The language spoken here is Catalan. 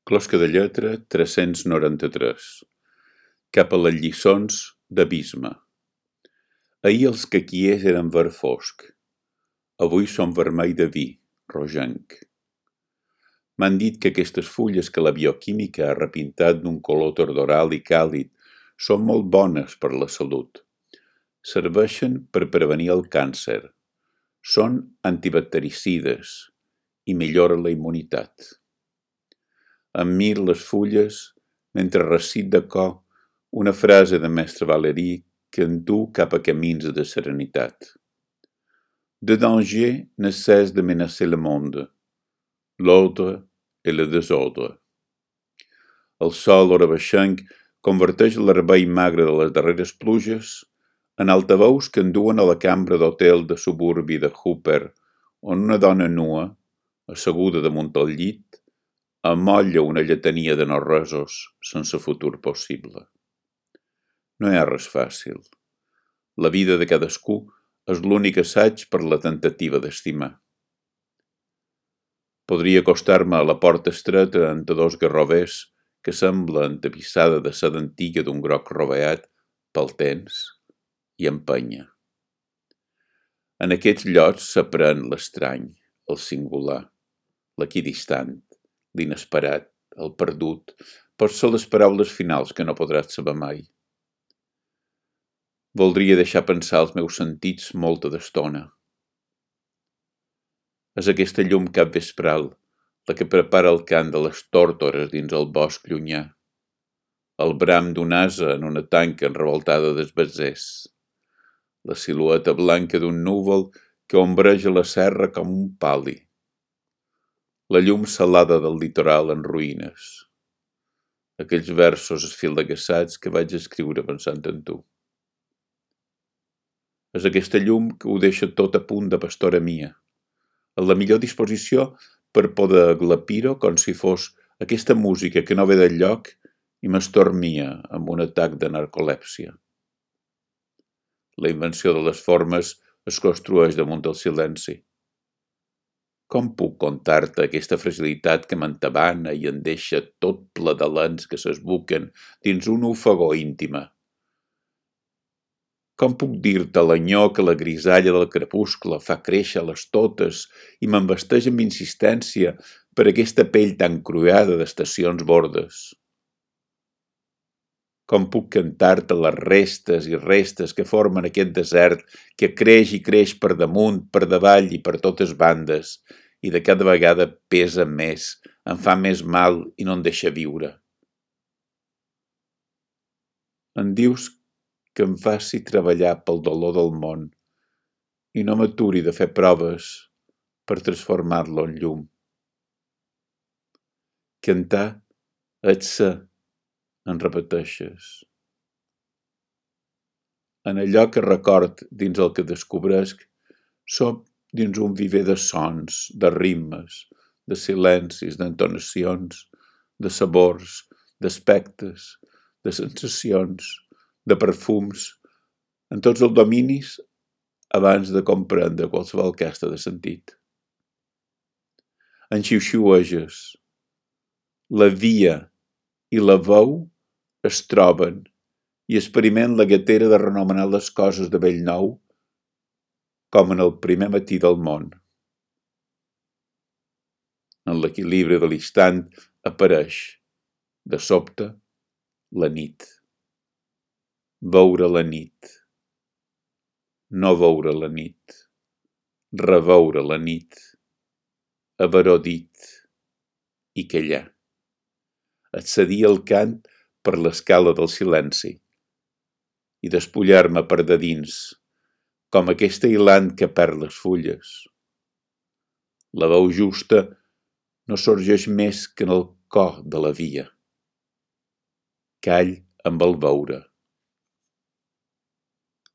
Closca de lletra 393. Cap a les lliçons d'abisme. Ahir els caquiers eren verd fosc. Avui són vermell de vi, rogenc. M'han dit que aquestes fulles que la bioquímica ha repintat d'un color tordoral i càlid són molt bones per la salut. Serveixen per prevenir el càncer. Són antibactericides i milloren la immunitat. Em mir les fulles mentre recit de cor una frase de mestre Valéry que em du cap a camins de serenitat. De danger ne cesse de menacer le monde, l'ordre et le désordre. El sol orabaixenc converteix l'herbei magre de les darreres pluges en altaveus que enduen a la cambra d'hotel de suburbi de Hooper, on una dona nua, asseguda damunt el llit, amolla una lletania de no-resos sense futur possible. No hi ha res fàcil. La vida de cadascú és l'únic assaig per la temptativa d'estimar. Podria acostar-me a la porta estreta entre dos garrovers que sembla entapissada de seda antiga d'un groc roveat pel temps i empènyer. En aquests llocs s'aprèn l'estrany, el singular, l'equidistant, l'inesperat, el perdut, pot ser les paraules finals que no podràs saber mai. Voldria deixar pensar els meus sentits molta d'estona. És aquesta llum capvespral la que prepara el cant de les tórtores dins el bosc llunyà, el bram d'un ase en una tanca enrevoltada d'esbatzers, la silueta blanca d'un núvol que ombreja la serra com un pal·li, la llum salada del litoral en ruïnes, aquells versos esfildegassats que vaig escriure pensant en tu. És aquesta llum que ho deixa tot a punt de pastora mia, en la millor disposició per poder aglapir-ho com si fos aquesta música que no ve del lloc i m'estormia amb un atac de narcolèpsia. La invenció de les formes es construeix damunt del silenci. Com puc contar-te aquesta fragilitat que m'entabana i em deixa tot ple de lents que s'esbuquen dins un ofegor íntima? Com puc dir-te l'enyor que la grisalla del crepuscle fa créixer a les totes i m'embesteix amb insistència per aquesta pell tan cruada d'estacions bordes? Com puc cantar-te les restes i restes que formen aquest desert que creix i creix per damunt, per davall i per totes bandes i de cada vegada pesa més, em fa més mal i no em deixa viure? Em dius que em faci treballar pel dolor del món i no m'aturi de fer proves per transformar-lo en llum. Cantar és ser, en repeteixes. En allò que record dins el que descobresc, som dins un viver de sons, de ritmes, de silencis, d'entonacions, de sabors, d'aspectes, de sensacions, de perfums, en tots els dominis abans de comprendre qualsevol casta de sentit. En xiuxiueges, la via i la veu es troben i experiment la gatera de renomenar les coses de bell nou com en el primer matí del món. En l'equilibri de l'instant apareix, de sobte, la nit. Veure la nit. No veure la nit. Reveure la nit. Haver-ho dit i callar. Accedir al cant per l'escala del silenci i despullar-me per de dins, com aquesta hilant que perd les fulles. La veu justa no sorgeix més que en el cor de la via. Call amb el veure.